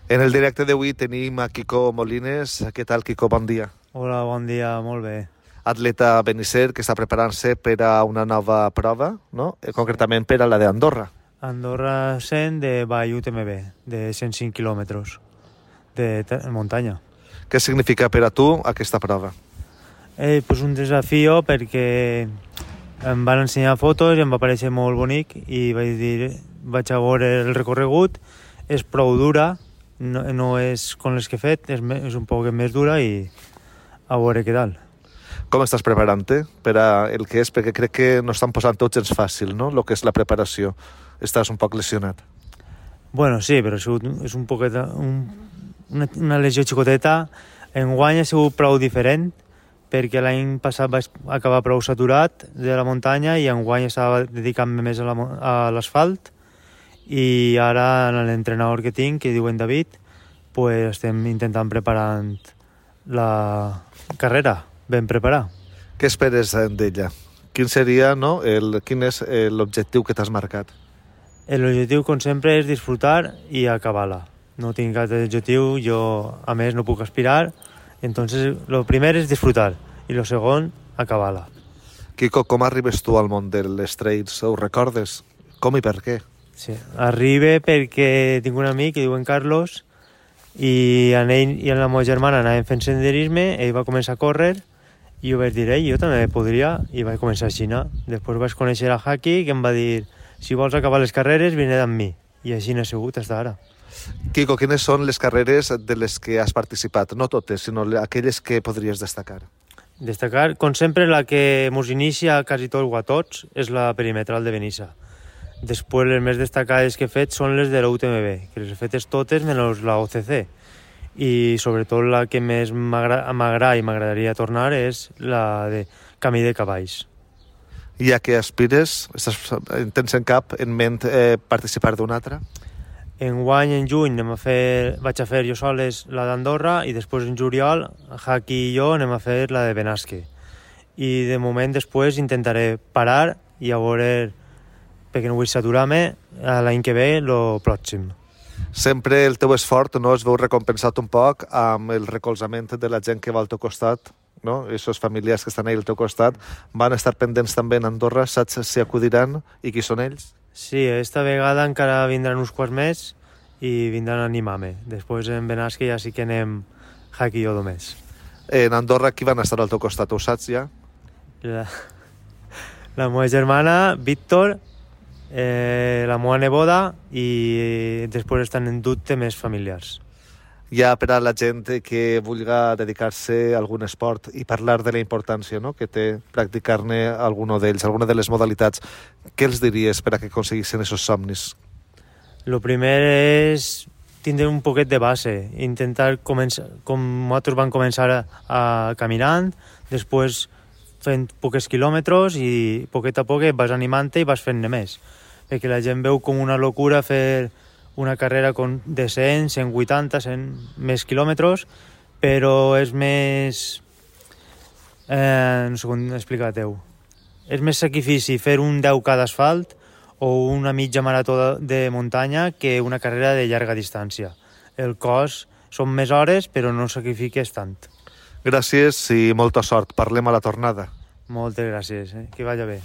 En el directe d'avui tenim a Quico Molines. Què tal, Quico? Bon dia. Hola, bon dia, molt bé. Atleta benisser que està preparant-se per a una nova prova, no? Concretament per a la d'Andorra. Andorra 100 de Vall UTMB, de 105 quilòmetres de muntanya. Què significa per a tu aquesta prova? Pues un desafío perquè em van ensenyar fotos i em va parecer molt bonic i vaig a veure el recorregut. És prou dura, no és com les que he fet, és un poc més dura i a veure què tal. Com estàs preparant-te per a el que és? Perquè crec que no estan posant tots gens fàcil, no?, el que és la preparació. Estàs un poc lesionat. Bueno, sí, però és un poquet una lesió xicoteta. Enguany ha sigut prou diferent perquè l'any passat vaig acabar prou saturat de la muntanya i enguany estava dedicant-me més a l'asfalt i ara l'entrenador que tinc, que diuen David, pues estem intentant preparant la carrera, ben preparar. Què esperes d'ella? Quin seria, no? Quin és l'objectiu que t'has marcat? L'objectiu, com sempre, és disfrutar i acabar-la. No tinc cap objectiu, jo, a més, no puc aspirar. Entonces, lo primer és disfrutar i lo segon, acabar-la. Quico, com arribes tu al món dels trails? Ho recordes? Com i per què? Sí, arribe perquè tinc un amic que diuen Carlos i en ell i en la meva germana anàvem fent senderisme, ell va començar a córrer i jo vaig dir, jo també podria, i vaig començar a xinar. Després vaig conèixer a Haki, que em va dir, si vols acabar les carreres, vine amb mi. I així n'he sigut fins ara. Quico, quines són les carreres de les que has participat? No totes, sinó aquelles que podries destacar. Destacar, com sempre, la que mos inicia quasi tot o a tots és la perimetral de Benissa. Després, les més destacades que he fet són les de la UTMB, que les he fetes totes menys la OCC. I sobretot la que més m'agrada i m'agradaria tornar és la de Camí de Cavalls. I a què aspires? Tens en ment participar d'una altra? Enguany, en juny, vaig a fer jo soles la d'Andorra i després en juliol, Haki i jo anem a fer la de Benasque. I de moment després intentaré parar i a veure, perquè no vull saturar-me, l'any que ve, el pròxim. Sempre el teu esforç, no, es veu recompensat un poc amb el recolzament de la gent que va al teu costat, no? Aquests familiars que estan ahí al teu costat van estar pendents també en Andorra, saps si acudiran i qui són ells? Sí, esta vegada encara vindran uns quants més i vindran a animar-me. Després en Benasque ja sí que anem Haki i jo només. En Andorra qui van estar al teu costat, ho saps ja? La meva germana, Víctor, la meva neboda i després estan en dubte més familiars. Ja per a la gent que vulgui dedicar-se a algun esport i parlar de la importància, no?, que té practicar-ne alguna d'ells, alguna de les modalitats, què els diries per a que aconseguissin aquests somnis? Lo primer és tindre un poquet de base, intentar començar, com nosaltres vam començar caminant, després fent pocs quilòmetres i poquet a poc vas animant-te i vas fent-ne més. Perquè la gent veu com una locura fer una carrera de 100, 180, 100 més quilòmetres, però és més... no sé com explicar-te-ho. És més sacrifici fer un 10K d'asfalt o una mitja marató de muntanya que una carrera de llarga distància. El cost són més hores, però no sacrifiques tant. Gràcies i molta sort. Parlem a la tornada. Moltes gràcies, que vagi bé.